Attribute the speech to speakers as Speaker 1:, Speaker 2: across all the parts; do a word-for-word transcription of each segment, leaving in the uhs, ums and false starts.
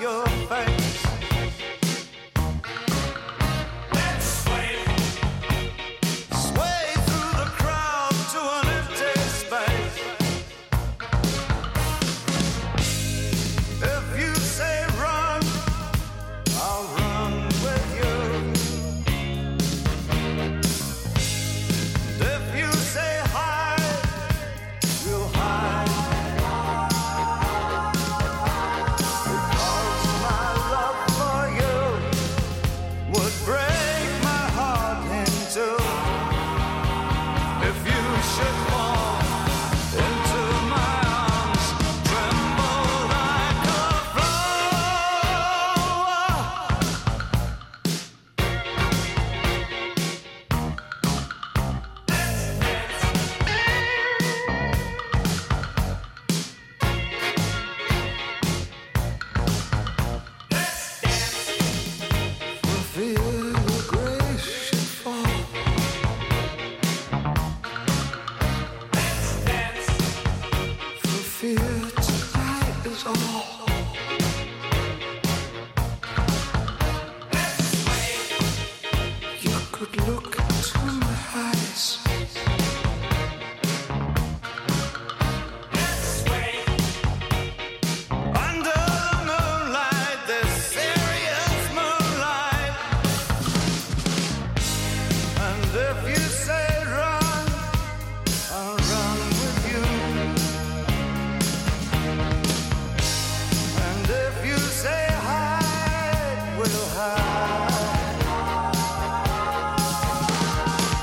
Speaker 1: your face. Let's sway. Sway through the crowd to an empty space. If you say run, I'll run with you. And if you say hide, we'll hide. Because my love for you would break my heart in two. If you should fall into my arms, tremble like a flower. For fear your grace should fall. For fear tonight is all. You could look into my eyes. Under the moonlight, this serious moonlight. And if you say run, I'll run with you. And if you say hide, we'll hide.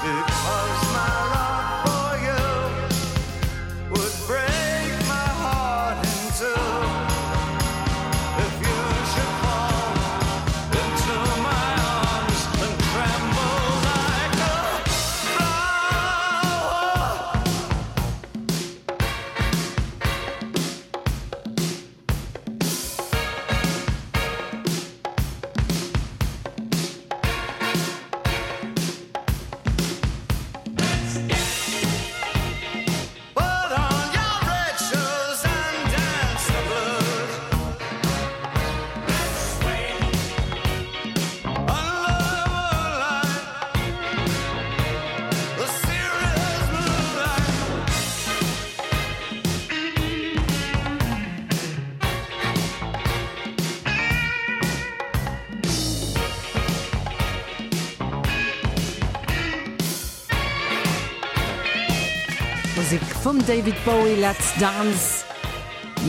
Speaker 1: Because my love for you would break my heart in two. If you should fall into my arms and tremble like a flower. Put on your red shoes and dance the blues. Under the moonlight, the serious moonlight.
Speaker 2: Musek vum David Bowie, Let's Dance.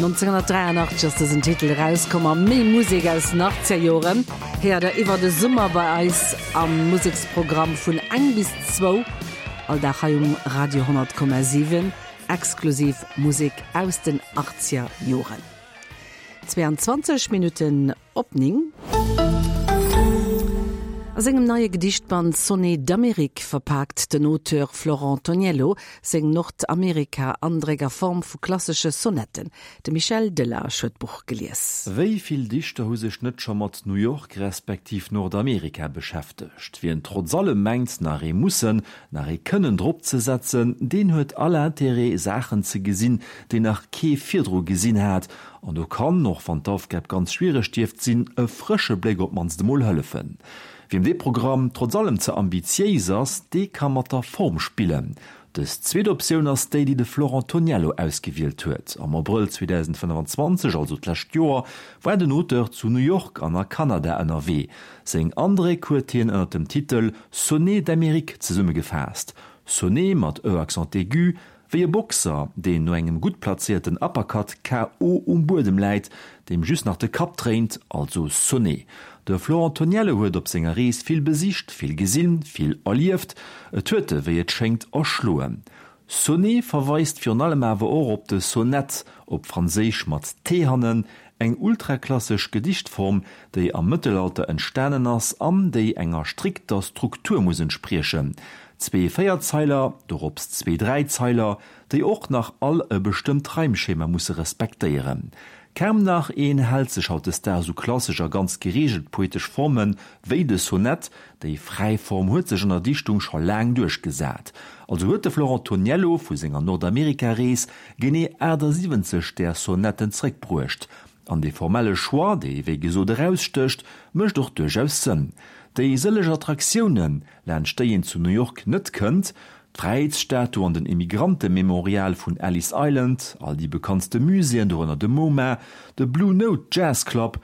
Speaker 2: nonzénghonnertdräianachtzeg ass dësen Titel erauskomm a méi Musek aus den achtzeger Joren héiert der iwwer de Summer bei eis am Museksprogramm vun eng bis zwou all Dag hei um Radio honnert Komma siwen, exklusiv Musek aus den achtzeger Joren. Zweeanzwanzeg Minutten op néng. A sengem neie Gedichtband Sonnets d'Amérique verpaakt den Auteur Florent Toniello seng Nordamerika-Andréck a Form vu klassesche Sonetten. De Michel Delage huet d'Buch gelies.
Speaker 3: Wéi vill Dichter hu sech net scho mat New York respektiv Nordamerika beschäftegt? Wien trotz allem mengt, nach ee mussen, nach ee kënnen drop ze setzen, deen huet all Interêt, Saachen ze gesinn, déi nach kee virdru gesinn hat. An do kann, och wann d'Aufgab ganz schwiereg dierft sinn, e frësche Bléck op d'mannst emol hëllefen. Wiem dee Programm trotz allem ze ambitiéis ass, dee ka mat der Form spillen. Dës zweet Optioun ass déi, déi de Florent Toniello ausgewielt huet. Am Abrëll zweedausendfënnefenzwanzeg, also d'lescht Joer, war den Auteur zu New York an a Kanada ënnerwee. Seng Andréck huet hien ënner dem Titel Sonnets d'Amérique zesummegefaasst. Sonnet mat e accent aigu, wéi e Boxer, deen no engem gutt plazéierten Uppercut K O um Buedem läit, deem just nach de Kapp dréint, also sonné. De Florent Toniello huet op senger Rees vill besicht, vill gesinn, vill erlieft, et huet e wéi et schéngt erschloen. Sonnet verweist virun allem awer och op de Sonett, op Franséisch mat t hannen, eng ultraklassesch Gedichtform, déi am Mëttelalter entstanen ass an déi enger strikter Struktur muss entspriechen. Zwee Véierzeiler, dorops zwee Dräizeiler, déi och nach all e bestëmmt Reimschema musse respektéieren. Kaum nach een hält sech hautdesdaags u klassesch a ganz gereegelt poetesch Forme wéi de Sonett, déi fräi Form huet sech an der Dichtung scho laang duerchgesat. Also huet de Florent Toniello vu senger Nordamerika-Rees genee achtasiwwenzeg där Sonetten zréckbruecht. An de formelle Choix, dee wéi gesot erausstécht, mécht och duerchaus Sënn. Déi sëlleg Attraktiounen, laanscht déi een zu New York net kënnt, d'Fräiheetsstatu an den Immigrantememorial vun Ellis Island, all déi bekanntste Muséeën, dorënner de MoMA, de Blue Note Jazz Club,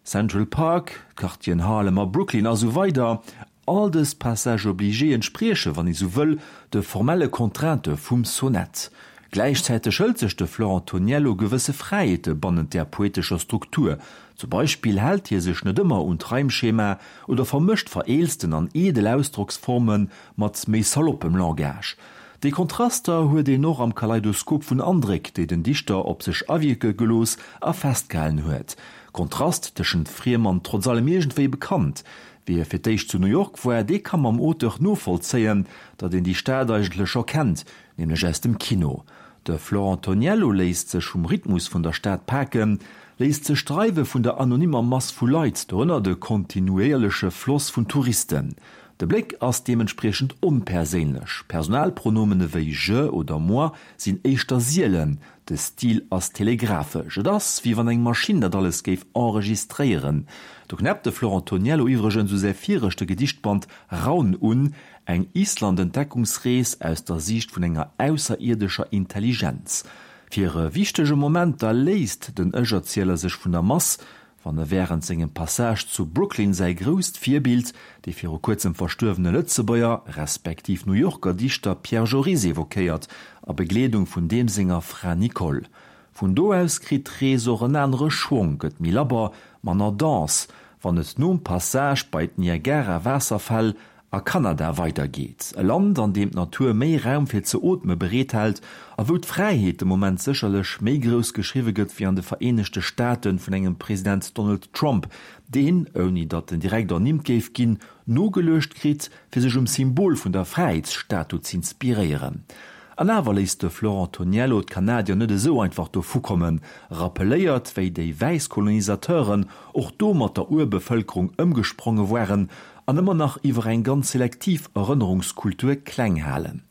Speaker 3: Central Park, Quartieren Harlem a Brooklyn a sou weider, all dës Passages obligés entsprieche wann ee sou wëll de formelle Contraintë vum Sonett. Gläichzäiteg hëlt sech de Florent Toniello gewësse Fräiheete bannent der poetescher Struktur. Zum Beispill hält hie sech net ëmmer un d'Reimschema oder vermëscht vereelzten an edel Ausdrocksforme mat méi saloppem Langage. Déi Kontraster huet een och am Kaleidoskop vun Andréck, déi den Dichter op sech awierke gelooss a festgehalen huet. Kontrast tëschent friem an trotz allem iergendwéi bekannt. Wie fir d'éischt zu New York war, dee ka mam Auteur novollzéien, datt een déi Stad eigentlech scho kennt, nämlech aus dem Kino. De Florent Toniello léisst sech vum Rhythmus vun der Stad paken, léisst sech dreiwe vun der anonymer Mass vu Leit, dorënner de kontinuéierleche Floss vun Touristen. De Bléck ass deementspriechend onperséinlech. Personalpronomene wéi je oder moi sinn éischter sielen. De Stil ass telegrafesch. Et ass, wéi wann eng Maschinn dat alles géif enregistréieren. Do knäppt de Florent Toniello iwwregens u säi viregte Gedichtband Raun un, eng Island-Entdeckungsrees aus der Siicht vun enger ausserierdescher Intelligenz. Fir e wichtege Moment da léisst den Ech-Erzieler sech vun der Mass, wann e wärend sengem Passage zu Brooklyn säi grousst Virbild, de viru kuerzem verstuerwene Lëtzebuerger respektiv New Yorker Dichter Pierre Joris evoquéiert, a Begleedung vun deem senger Fra Nicole. Vun do aus kritt d'Rees och en anere Schwong, gëtt méi labber, manner dense, wann et nom Passage bei d'Niagara-Waasserfäll a Kanada weidergeet. E Land, an deem d'Natur méi Raum fir ze ootme bereethält a wou d'Fräiheet de Moment sécherlech méi grouss geschriwwe gëtt wéi an de Vereenegte Staate vun engem President Donald Trump, deen, ouni datt en direkt ernimmt géif ginn, nogeluecht kritt, fir sech um Symbol vun der Fräiheetsstatu z'inspiréieren. An awer léisst de Florent Toniello d'Kanadier net esou einfach dovukommen, rappeléiert, wéi déi wäiss Kolonisateuren och do mat der Urbevëlkerung ëmgespronge waren an ëmmer nach iwwer eng ganz selektiv Erënnerungskultur kleng halen.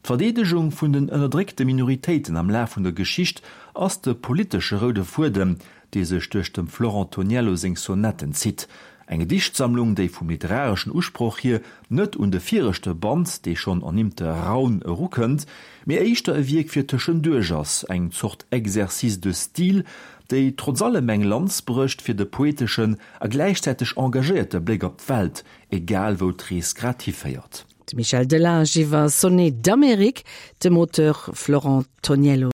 Speaker 3: D'Verdeedegung vun den ënnerdréckte Minoritéiten am Laf vun der Geschicht ass de politesche roude Fuedem, dee sech duerch dem Florent Toniello seng Sonetten zitt. Eng Gedichtsammlung, déi vum literareschen Usproch hier net un de viregte Band, dee schonn ernimmte Raun erukënnt, mee éischter e Wierk fir tëschenduerch ass, eng Zort Exercice de style, déi trotz allem eng Lanz brécht fir de poeteschen a gläichzäiteg engagéierte Bléck op d'Welt, egal wou d'Rees grad hiféiert.
Speaker 2: De Michel Delage iwwer Sonnets d'Amérique, dem Auteur Florent Toniello.